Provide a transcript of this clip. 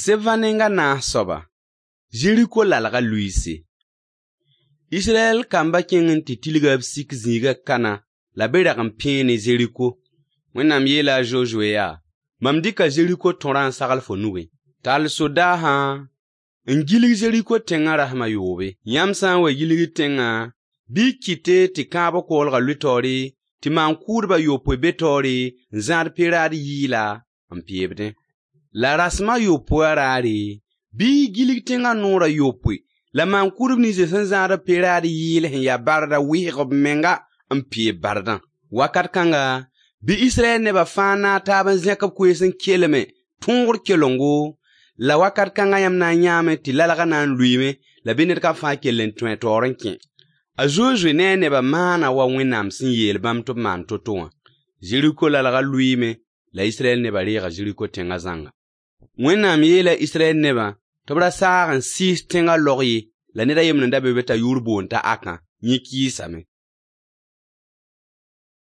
Sebã neng a naas soaba, Zeriko lalga lʋɩɩse. Israyɛl kambã kẽng n tɩ tilga b sik zĩigã kana la b rag n pẽe ne Zeriko. Wẽnnaam yeela a Zozoe yaa: Mam dɩka Zeriko tõrã n sagl fo nugẽ. Tall sodaasã n gilg Zeriko tẽngã rasem a yoobe. Yãmb sã n wa gilgd tẽngã, bɩ y kɩte tɩ kãabg koglgã lʋɩ taoore, tɩ maan-kʋʋdb a yopoe be taoore n zãad pe-raad yɩɩla n peebdẽ. La rasem a yopoe wã raare, bɩ y gilg tẽngã noor a yopoe la maan-kʋʋdb nins sẽn zãad b pe-raad yɩɩl sẽn ya barda wɩsg b menga n peeb bardã. Wakat kãnga, bɩ Israyɛl nebã fãa naag taab n zẽk b koees n kelme tõogr kelengo, la wakat kãnga yãmb na n yãame tɩ lalgã na n lʋɩɩme la bɩ ned kam fãa kell n tõe a taoor n kẽ. A Zozoe ne a nebã maana wa Wẽnnaam sẽn yeel bãmb tɩ b maan to-to wã. Zeriko lalgã lʋɩɩme la Israyɛl nebã reega Zeriko tẽngã zãnga. Wẽnnaam yeela Israyɛl nebã tɩ b ra saag n sɩɩs tẽngã laog ye, la ned a yembr n da be be t'a yʋʋr boond t'a Akã, yẽ kɩɩsame.